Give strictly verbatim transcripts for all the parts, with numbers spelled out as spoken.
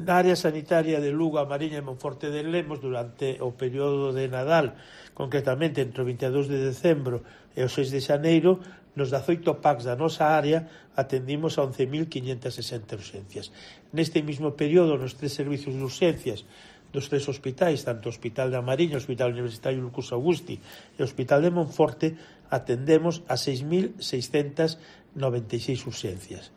Na área sanitaria de Lugo, A Mariña e Monforte de Lemos, durante o período de Nadal, concretamente entre o vinte e dous de decembro e o seis de xaneiro, nos dezaoito packs da nosa área atendimos a once mil quinhentas sesenta urxencias. Neste mesmo período, nos tres servicios de urxencias dos tres hospitais, tanto o Hospital da Mariña, o Hospital Universitario Lucas Augusti e o Hospital de Monforte, atendemos a seis mil seiscentas noventa e seis urxencias.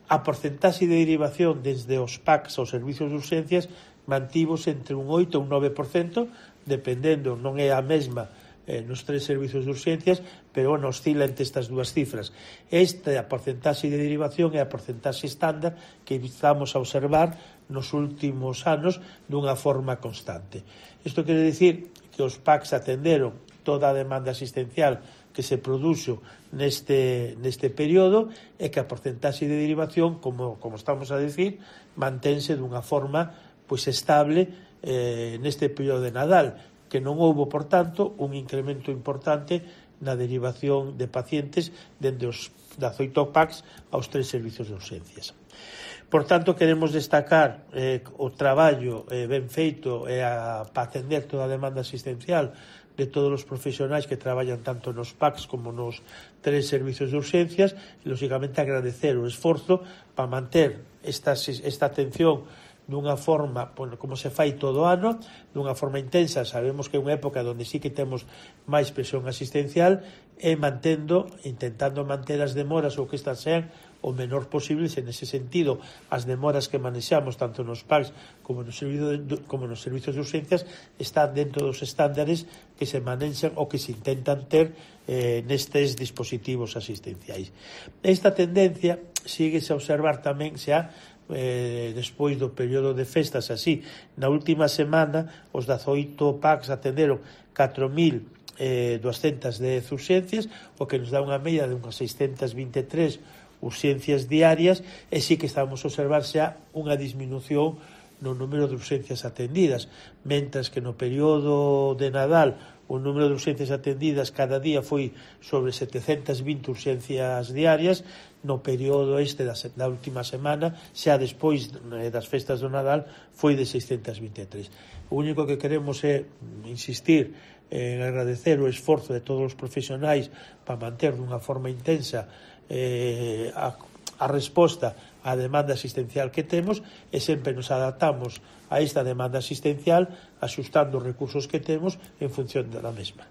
A porcentaxe de derivación desde os packs aos servicios de urxencias mantivos entre un oito e un nove por cento, dependendo, non é a mesma eh, nos tres servicios de urxencias, pero bueno, oscila entre estas dúas cifras. Esta a porcentaxe de derivación é a porcentaxe estándar que estamos a observar nos últimos anos dunha forma constante. Isto quere dicir que os packs atenderon toda a demanda asistencial que se produxo neste, neste período e que a porcentaxe de derivación, como, como estamos a decir, mantense dunha forma pois estable eh, neste período de Nadal, que non houbo, por tanto, un incremento importante na derivación de pacientes dende os dezaoito packs aos tres servicios de urxencias. Por tanto, queremos destacar eh, o traballo eh, ben feito eh, a, para atender toda a demanda asistencial de todos os profesionais que traballan tanto nos packs como nos tres servicios de urxencias e, lógicamente, agradecer o esforzo para manter esta, esta atención dunha forma, bueno, como se fai todo o ano, dunha forma intensa. Sabemos que é unha época onde sí que temos máis presión asistencial e mantendo, intentando manter as demoras ou que estas sean o menor posible, e nese sentido as demoras que manexamos tanto nos packs como nos, de, como nos servicios de urxencias están dentro dos estándares que se manexan ou que se intentan ter eh, nestes dispositivos asistenciais. Esta tendencia síguese a observar tamén xa eh, despois do período de festas. Así, na última semana os dezaoito packs atenderon catro mil duascentas dez urxencias, o que nos dá unha media de unhas seiscentas vinte e tres urxencias diarias, e sí que estamos a observar xa unha disminución no número de urxencias atendidas, mentras que no período de Nadal o número de urxencias atendidas cada día foi sobre setecentas vinte urxencias diarias. No período este da, da última semana, xa despois das festas do Nadal, foi de seiscentas vinte e tres. O único que queremos é insistir en agradecer o esforzo de todos os profesionais para manter dunha forma intensa eh, a, a resposta á demanda asistencial que temos, e sempre nos adaptamos a esta demanda asistencial axustando os recursos que temos en función da mesma.